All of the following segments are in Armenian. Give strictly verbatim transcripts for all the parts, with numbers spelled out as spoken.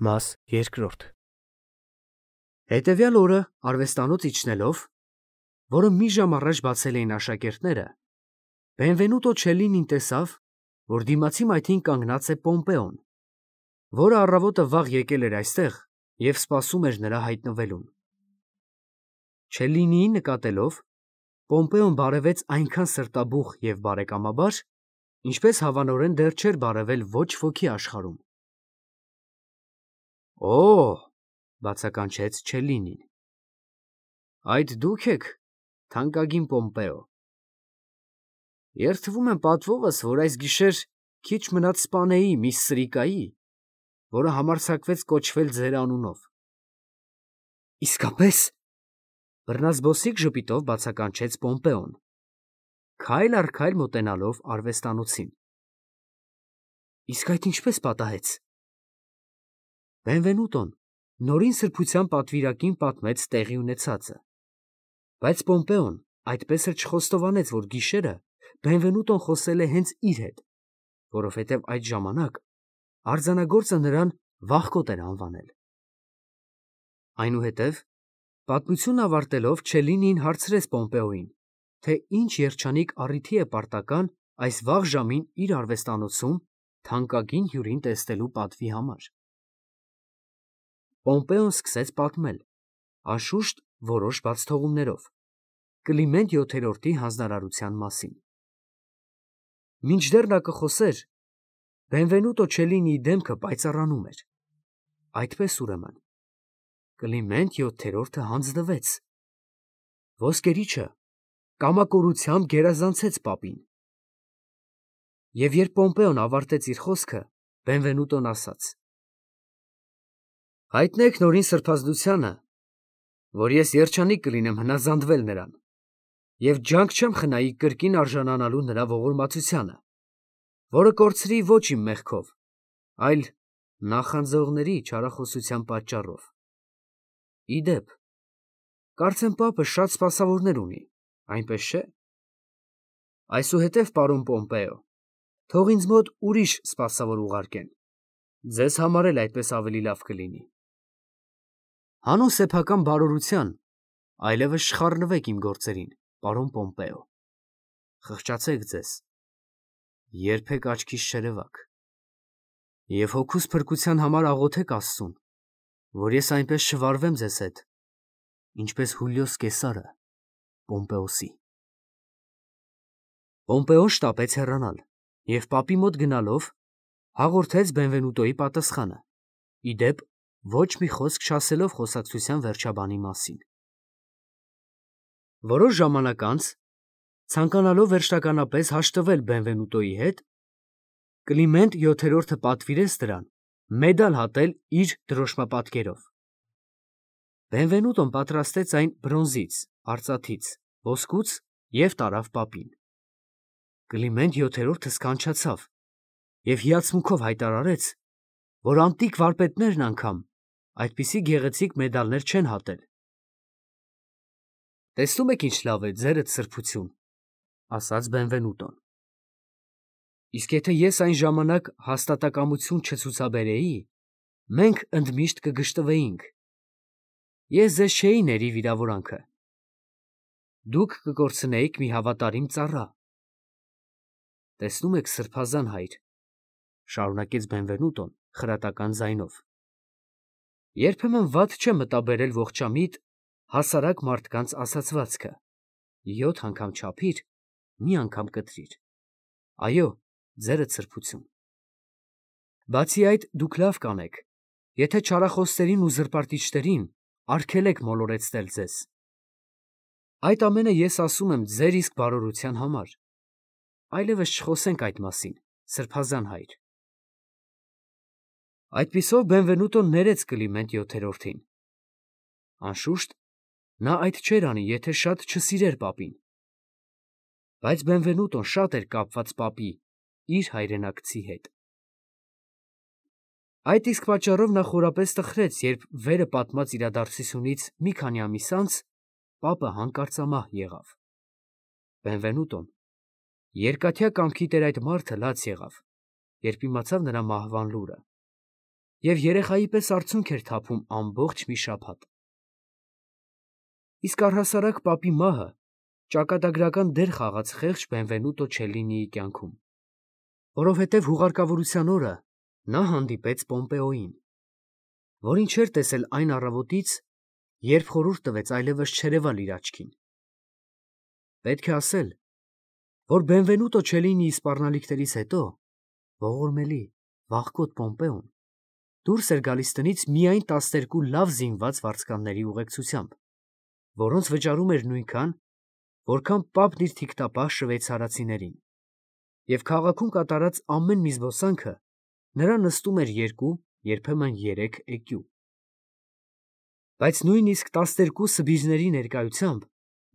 Մաս երկրորդ Հետևյալ օրը արվեստանոց իջնելով, որը մի ժամ առաջ բացել էին աշակերտները, Բենվենուտո Չելլինին տեսավ, որ դիմացի մայթին կանգնած է Պոմպեոն, որը առավոտը վաղ եկել էր այստեղ և սպասում էր նրա հայտնվելուն։ Չելլինիին նկատելով, Պոմպեոն բարևեց այնքան սրտաբուխ և բարեկամաբար, ինչպես հավանորեն դեռ չէր բարևել ոչ ոքի աշխարհում։ Օ՜, բացականչեց Չելլինին, այդ դու՞ք եք, թանկագին Պոմպեո։ Երդվում եմ պատվովս, որ այս գիշեր քիչ մնաց սպանեի մի սրիկայի, որը համարձակվեց կոչվել ձեր անունով։ Իսկապես, բռնազբոսիկ ժպիտով բացականչեց Պոմպեոն, քայլ առ քայլ մոտենալով արվեստանոցին։ Իսկ այդ ինչպես պատահեց։ Բենվենուտոն նորին սրբության պատվիրակին պատմեց տեղի ունեցածը, բայց Պոմպեոն այդպես էլ չխոստովանեց, որ գիշերը Բենվենուտոն խոսել է հենց իր հետ, որովհետև այդ ժամանակ արձանագործը նրան վախկոտ էր անվանել։ Այնուհետև, պատմությունն ավարտելով, Չելլինին հարցրեց Պոմպեոյին, թե ինչ երջանիկ առիթի է պարտական այս վաղ ժամին իր արվեստանոցում թանկագին հյուրին տեսնելու պատվի համար։ Պոմպեոն սկսեց պատմել, անշուշտ որոշ բացթողումներով, Կլիմենտ յոթերորդի հանձնարարության մասին։ Մինչդեռ նա կխոսեր, Բենվենուտո Չելլինիի դեմքը պայծառանում էր։ Այդպես ուրեմն, Կլիմենտ յոթերորդը հանձնվեց։ Ոսկերիչը կամակորությամբ գերազանցեց պապին։ Եվ երբ Պոմպեոն ավարտեց իր խոսքը, Բենվենուտոն ասաց. Հայտնեք նորին սրբազդությանը, որ ես երջանիկ կլինեմ հնազանդվել նրան, և ջանք չեմ խնայի կրկին արժանանալու նրա ողորմածությանը, որը կորցրի ոչ իմ մեղքով, այլ նախանձողների չարախոսության պատճառով։ Ի դեպ, կարծեմ պապը շատ սպասավորներ ունի, այնպես չէ։ Այսուհետև, պարոն Պոմպեո, թող ինձ մոտ ուրիշ սպասավոր ուղարկեն, ձեզ համար էլ այդպես ավելի լավ կլինի։ Հանուն սեփական բարօրության այլևս չխառնվեք իմ գործերին, պարոն Պոմպեո, խղճացեք ձեզ, երբեք աչքիս չերևաք, և հոգուս փրկության համար աղոթեք Աստծուն, որ ես այնպես չվարվեմ ձեզ հետ, ինչպես Հուլիոս Կեսարը Պոմպեոսի։ Պոմպեոն շտապեց հեռանալ և պապի մոտ գնալով հաղորդեց Բենվենուտոյի պատասխանը, ի դեպ, ոչ մի խոսք չասելով խոսակցության վերջաբանի մասին։ Որոշ ժամանակ անց, ցանկանալով վերջնականապես հաշտվել Բենվենուտոյի հետ, Կլիմենտ յոթերորդը պատվիրեց նրան մեդալ հատել իր դրոշմապատկերով։ Բենվենուտոն պատրաստեց այն բրոնզից, արծաթից, ոսկուց և տարավ պապին։ Կլիմենտ յոթերորդը սքանչացավ և հիացմունքով հայտարարեց, որ անտիկ վարպետներն անգամ այդպիսի գեղեցիկ մեդալներ չեն հատել։ Տեսնում եք ինչ լավ է ձերդ սրբություն, ասաց Բենվենուտոն։ Իսկ եթե ես այն ժամանակ հաստատակամություն չցուցաբերեի, մենք ընդմիշտ կգժտվեինք։ Ես ձեզ չէի ների վիրավորանքը։ Դուք կկորցնեիք մի հավատարիմ ծառա։ Տեսնում եք, սրբազան հայր, շարունակեց Բենվենուտոն խրատական ձայնով, երբեմն վատ չէ մտաբերել ողջամիտ հասարակ մարդկանց ասացվածքը, յոթ անգամ չափիր, մի անգամ կտրիր։ Այո, ձերդ սրբություն։ Բացի այդ, դուք լավ կանեք, եթե չարախոսներին ու զրպարտիչներին արգելեք մոլորեցնել ձեզ։ Այդ ամենը ես ասում եմ ձեր իսկ բարօրության համար։ Այլևս չխոսենք այդ մասին, սրբազան հայր։ Այդպիսով Բենվենուտոն ներեց Կլիմենտ յոթերորդին։ Անշուշտ, նա այդ չէր անի, եթե շատ չսիրեր պապին։ Բայց Բենվենուտոն շատ էր կապված պապի, իր հայրենակցի հետ։ Այդ իսկ պատճառով նա խորապես տխրեց, երբ վերը պատմած իրադարձությունից մի քանի ամիս անց պապը հանկարծամահ եղավ։ Բենվենուտոն երկաթյա կամքի տեր այդ մարդը լաց եղավ, երբ իմացավ նրա մահվան լուրը, և երեխայի պես արցունք էր թափում ամբողջ մի շաբաթ։ Իսկ առհասարակ պապի մահը ճակատագրական դեր խաղաց խեղճ Բենվենուտո Չելլինիի կյանքում, որովհետև հուղարկավորության օրը նա հանդիպեց Պոմպեոյին, որին չէր տեսել այն առավոտից, երբ խորհուրդ տվեց այլևս չերևալ իր աչքին։ Պետք է ասել, որ Բենվենուտո Չելլինիի սպառնալիքներից հետո ողորմելի, վախկոտ Պոմպեոն դուրս էր գալիս տնից միայն տասներկու լավ զինված վարձկանների ուղեկցությամբ, որոնց վճարում էր նույնքան, որքան պապն իր թիկտապահ շվեյցարացիներին, և քաղաքում կատարած ամեն մի զբոսանքը նրա նստում էր երկու, երբեմն երեք էկյու։ Բայց նույնիսկ տասներկու սբիժների ներկայությամբ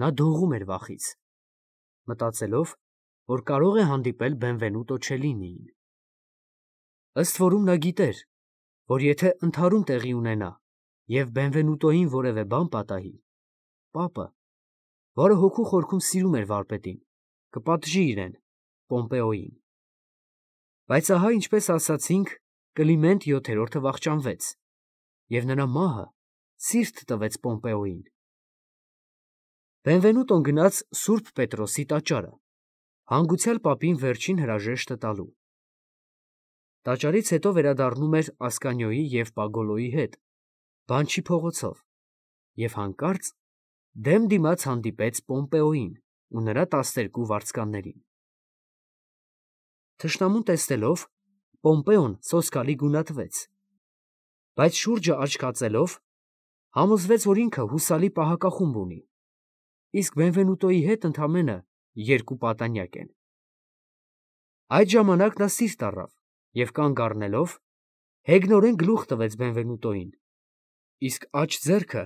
նա դողում էր վախից, մտածելով, որ կարող է հանդիպել Բենվենուտո Չելլինիին։ Ըստ որում նա գիտեր, որ եթե ընդհարում տեղի ունենա և Բենվենուտոյին որևէ բան պատահի, պապը, որը հոգու խորքում սիրում էր վարպետին, կպատժի իրեն, Պոմպեոյին։ Բայց ահա, ինչպես ասացինք, Կլիմենտ յոթերորդը վախճանվեց, և նրա մահը սիրտ տվեց Պոմպեոյին։ Բենվենուտոն գնաց Սուրբ Պետրոսի տաճարը, հանգուցյալ պապին վերջին հրաժեշտը տալու։ Տաճարից հետո վերադառնում էր Ասկանիոյի և Պագոլոյի հետ, Բանչի փողոցով, և հանկարծ դեմ դիմաց հանդիպեց Պոմպեոյին ու նրա տասներկու վարձկաններին։ Թշնամուն տեսնելով, Պոմպեոն սոսկալի գունատվեց, բայց շուրջը աչք հածելով, համոզվեց, որ ինքը հուսալի պահակախումբ ունի, իսկ Բենվենուտոյի հետ ընդամենը երկու պատանյակ են։ Այդ ժամանակ նա սիրտ առավ և կանգ առնելով, հեգնորեն գլուխ տվեց Բենվենուտոյին, իսկ աջ ձեռքը,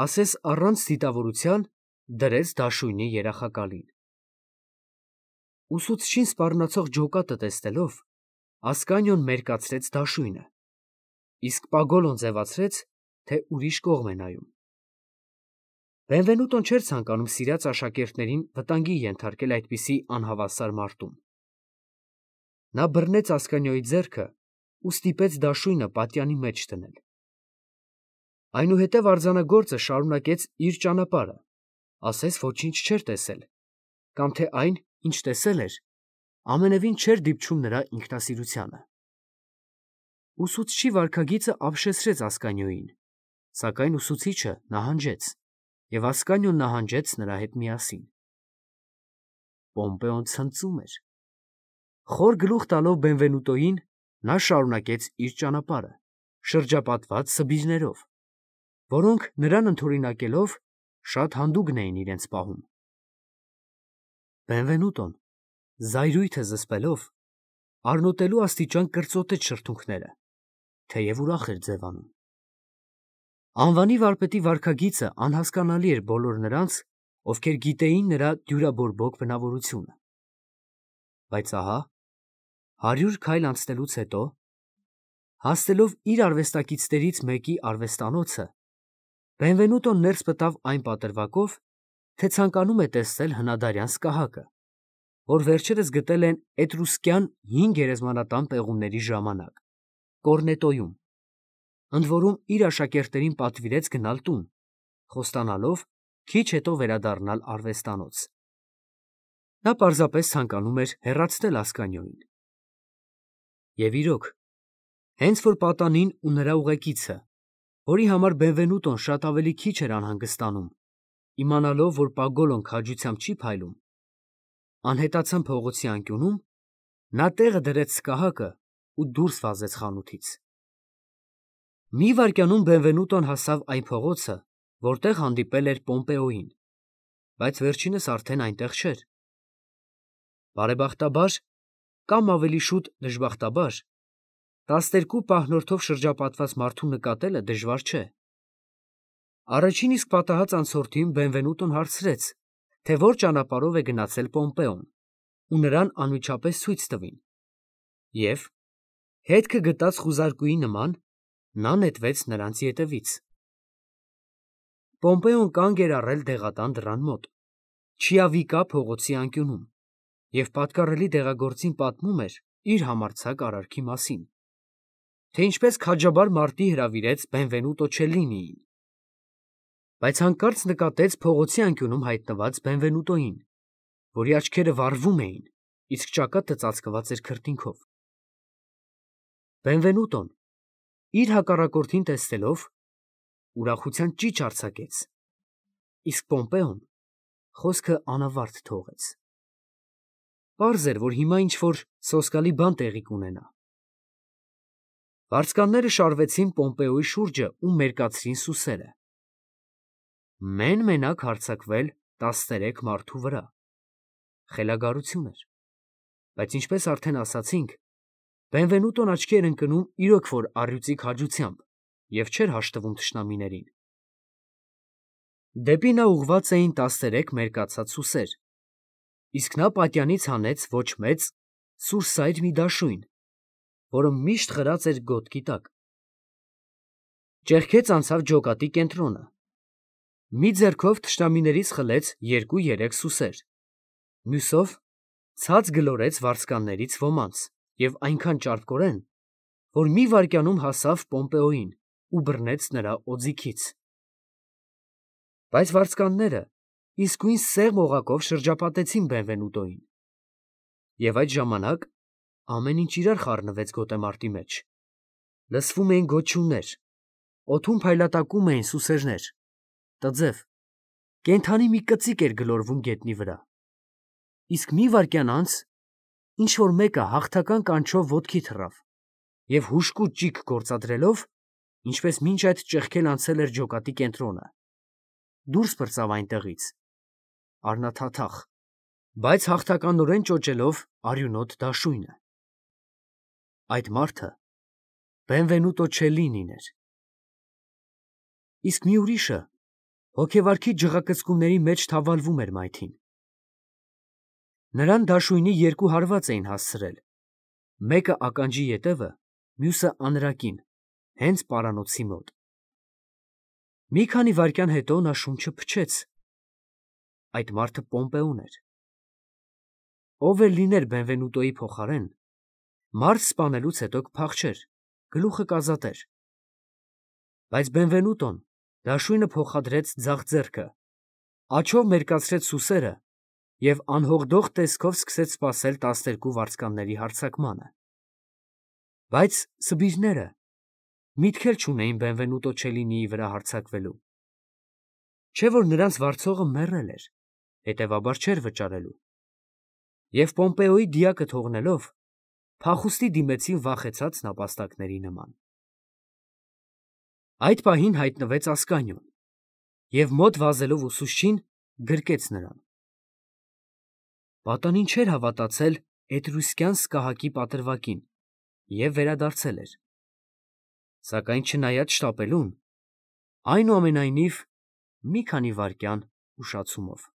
ասես առանց դիտավորության, դրեց դաշույնի երախակալին։ Ուսուցչին սպառնացող ջոկատը տեսնելով, Ասկանիոն մերկացրեց դաշույնը, իսկ Պագոլոն ձևացրեց, թե ուրիշ կողմ է նայում։ Բենվենուտոն չէր ցանկանում սիրած աշակերտներին վտանգի ենթարկել այդպիսի անհավասար մարտում։ Նա բռնեց Ասկանիոյի ձեռքը ու ստիպեց դաշույնը պատյանի մեջ դնել։ Այնուհետև արձանագործը շարունակեց իր ճանապարհը, ասես ոչինչ չէր տեսել, կամ թե այն, ինչ տեսել էր, ամենևին չէր դիպչում նրա ինքնասիրությանը։ Ուսուցչի վարքագիծը ապշեցրեց Ասկանիոյին, սակայն ուսուցիչը նահանջեց, և Ասկանիոն նահանջեց նրա հետ միասին։ Պոմպեոն ցնծում էր։ Խոր գլուխ տալով Բենվենուտոյին, նա շարունակեց իր ճանապարհը, շրջապատված սբիժներով, որոնք նրան ընդօրինակելով շատ հանդուգն էին իրենց պահում։ Բենվենուտոն, զայրույթը զսպելով, առնոտելու աստիճան կրծոտեց շրթունքները, թեև ուրախ էր ձևանում։ Անվանի վարպետի վարքագիծը անհասկանալի էր բոլոր նրանց, ովքեր գիտեին նրա դյուրաբորբոք բնավորությունը։ Բայց ահա, հարյուր քայլ անցնելուց հետո, հասնելով իր արվեստակիցներից մեկի արվեստանոցը, Բենվենուտոն ներս մտավ այն պատրվակով, թե ցանկանում է տեսնել հնադարյան սկահակը, որ վերջերս գտել են էտրուսկյան հին գերեզմանատան պեղումների ժամանակ, Կորնետոյում, ընդ որում իր աշակերտներին պատվիրեց գնալ տուն, խոստանալով քիչ հետո վերադառնալ արվեստանոց։ Նա պարզապես ցանկանում էր հեռացնել Ասկանիոյին։ Եվ իրոք, հենց որ պատանին ու նրա ուղեկիցը, որի համար Բենվենուտոն շատ ավելի քիչ էր անհանգստանում, իմանալով, որ Պագոլոն քաջությամբ չի փայլում, անհետացան փողոցի անկյունում, նա տեղը դրեց սկահակը ու դուրս վազեց խանութից։ Մի վայրկյանում Բենվենուտոն հասավ այն փողոցը, որտեղ հանդիպել էր Պոմպեոյին, բայց վերջինս արդեն այնտեղ չէր։ Բարեբախտաբար, կամ ավելի շուտ դժբախտաբար, տասներկու պահնորդով շրջապատված մարդու նկատելը դժվար չէ։ Առաջին իսկ պատահած անցորդին Բենվենուտոն հարցրեց, թե որ ճանապարհով է գնացել Պոմպեոն, ու նրան անմիջապես ցույց տվին, և, հետքը գտած խուզարկուի նման, նա նետվեց նրանց ետևից։ Պոմպեոն կանգ էր առել դեղատան դռան մոտ, Չիավիկա փողոցի անկյունում, և պատկառելի դեղագործին պատմում էր իր համարձակ արարքի մասին։ թե ինչպես քաջաբար մարտի հրավիրեց Բենվենուտո Չելլինիին, բայց հանկարծ նկատեց փողոցի անկյունում հայտնված Բենվենուտոին, որի աչքերը վառվում էին, իսկ ճակատը ծածկված էր քրտինքով։ Բենվենուտոն, իր հակառակորդին տեսնելով, ուրախության ճիչ արձակեց, իսկ Պոմպեոն խոսքը անավարտ թողեց։ Պարզ էր, որ հիմա ինչ-որ սոսկալի բան տեղի կունենա։ Վարձկանները շարվեցին Պոմպեոյի շուրջը ու մերկացրին սուսերը։ Մեն-մենակ հարձակվել տասներեք մարդու վրա։ Խելագարություն էր, բայց ինչպես արդեն ասացինք, Բենվենուտոն աչքի էր ընկնում իրոք որ առյուծի քաջությամբ և չէր հաշտվում թշնամիներին։ Դեպի նա ուղղված էին տասներեք մերկացած սուսեր, իսկ նա պատյանից հանեց ոչ մեծ, սուրսայր մի դաշույն, որը միշտ խրած էր գոտքի տակ։ Ճեղքեց անցավ ջոկատի կենտրոնը։ Մի ձեռքով թշնամիներից խլեց երկու-երեք սուսեր, մյուսով ցած գլորեց վարձկաններից ոմանց և այնքան ճարպկորեն, որ մի վայրկյանում հասավ Պոմպեոյին ու բռնեց նրա օձիքից։ Բայց վարձկանները իսկույն սեղմ օղակով շրջապատեցին Բենվենուտոյին, և այդ ժամանակ ամեն ինչ իրար խառնվեց գոտեմարտի մեջ. լսվում էին գոչյուններ, օդում փայլատակում էին սուսերներ, տձև, կենդանի մի կծիկ էր գլորվում գետնի վրա, իսկ մի վայրկյան անց ինչ-որ մեկը հաղթական կանչով ոտքի թռավ և հուժկու ճիգ գործադրելով, ինչպես մինչ այդ ճեղքել անցել էր ջոկատի կենտրոնը, դուրս պրծավ այնտեղից, առնաթաթախ, բայց հաղթականորեն ճոճելով արյունոտ դաշույնը։ Այդ մարդը Բենվենուտո Չելլինին էր։ Իսկ մի ուրիշը հոգեվարքի ջղակծկունների մեջ թավալվում էր մայթին։ Նրան դաշույնի երկու հարված էին հասցրել, մեկը ականջի ետևը, մյուսը անրակին, հենց պարանոցի մոտ։ Մի քանի վայրկյան հետո նա շունչը փչեց։ Այդ մարդը Պոմպեոն էր։ Ով էլ լիներ Բենվենուտոյի փոխարեն, մարդ սպանելուց հետո կփախչեր, գլուխը կազատեր։ Բայց Բենվենուտոն դաշույնը փոխադրեց ձախ ձեռքը, աջով մերկացրեց սուսերը և անհողդող տեսքով սկսեց սպասել տասներկու վարձկանների հարձակմանը։ Բայց սբիրները միտք էլ չունեին Բենվենուտո Չելլինիի վրա հարձակվելու, չէ՞ որ նրանց վարձողը մեռել էր, հետևաբար չէր վճարելու, և Պոմպեոյի դիակը թողնելով, փախուստի դիմեցին վախեցած նապաստակների նման։ Այդ պահին հայտնվեց Ասկանիոն և մոտ վազելով ուսուցչին, գրկեց նրան։ Պատանին չէր հավատացել էտրուսկյան սկահակի պատրվակին և վերադարձել էր, սակայն չնայած շտապելուն, այնուամենայնիվ մի քանի վայրկյան ուշացումով։